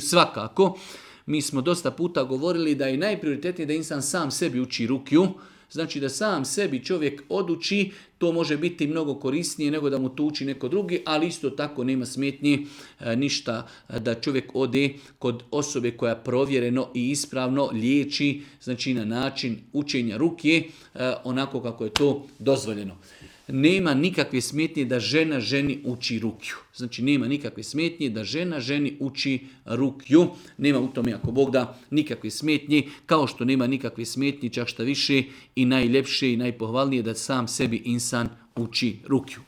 Svakako, mi smo dosta puta govorili da je najprioritetnije da insan sam sebi uči rukju. Znači da sam sebi čovjek oduči, to može biti mnogo korisnije nego da mu to uči neko drugi, ali isto tako nema smetnji ništa da čovjek ode kod osobe koja provjereno i ispravno liječi, znači na način učenja rukje, onako kako je to dozvoljeno. Nema nikakve smetnje da žena ženi uči rukju. Znači nema nikakve smetnje da žena ženi uči rukju. Nema u tome, ako Bog da, nikakve smetnje, kao što nema nikakve smetnje, čak šta više i najljepše i najpohvalnije da sam sebi insan uči rukju.